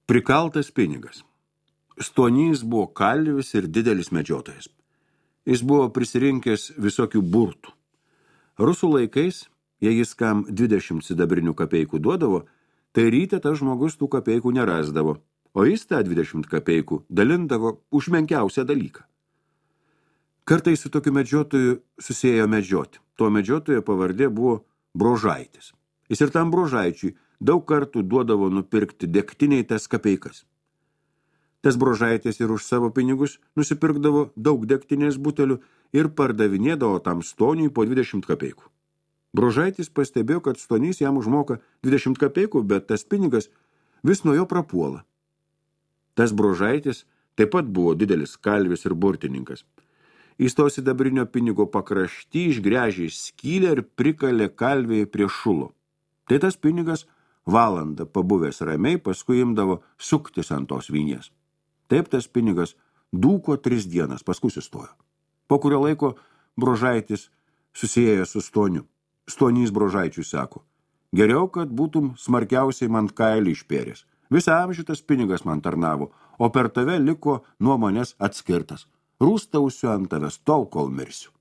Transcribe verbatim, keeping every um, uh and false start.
Prikaltas pinigas. Stonys buvo kalvis ir didelis medžiotojas. Jis buvo prisirinkęs visokių burtų. Rusų laikais, jei jis kam dvidešimt sidabrinių kapeikų duodavo, tai ryte tas žmogus tų kapeikų nerasdavo, o jis tą dvidešimt kapeikų dalindavo už menkiausią dalyką. Kartais su tokiu medžiotoju susėjo medžioti. Tuo medžiotojo pavardė buvo Brožaitis. Jis ir tam Brožaičiui daug kartų duodavo nupirkti degtiniai tas kapeikas. Tas Brožaitis ir už savo pinigus nusipirkdavo daug degtinės butelių ir pardavinėdavo tam Stoniui po dvidešimt kapeikų. Brožaitis pastebėjo, kad Stonys jam užmoka dvidešimt kapeikų, bet tas pinigas vis nuo jo prapuola. Tas Brožaitis taip pat buvo didelis kalvis ir burtininkas. Jis to sidabrinio pinigo pakrašty išgręžė skylę ir prikalė kalvėje prie šulo. Tai tas pinigas valandą pabuvęs ramiai, paskui imdavo suktis ant tos vynės. Taip tas pinigas dūko tris dienas, paskui sustojo. Po kurio laiko Brožaitis susiejo su Stoniu. Stonys Brožaičiui sako: geriau, kad būtum smarkiausiai man kailį išpėręs. Visą amžių tas pinigas man tarnavo, o per tave liko nuo manęs atskirtas. Rūstausiu ant tavęs tol, kol mirsiu.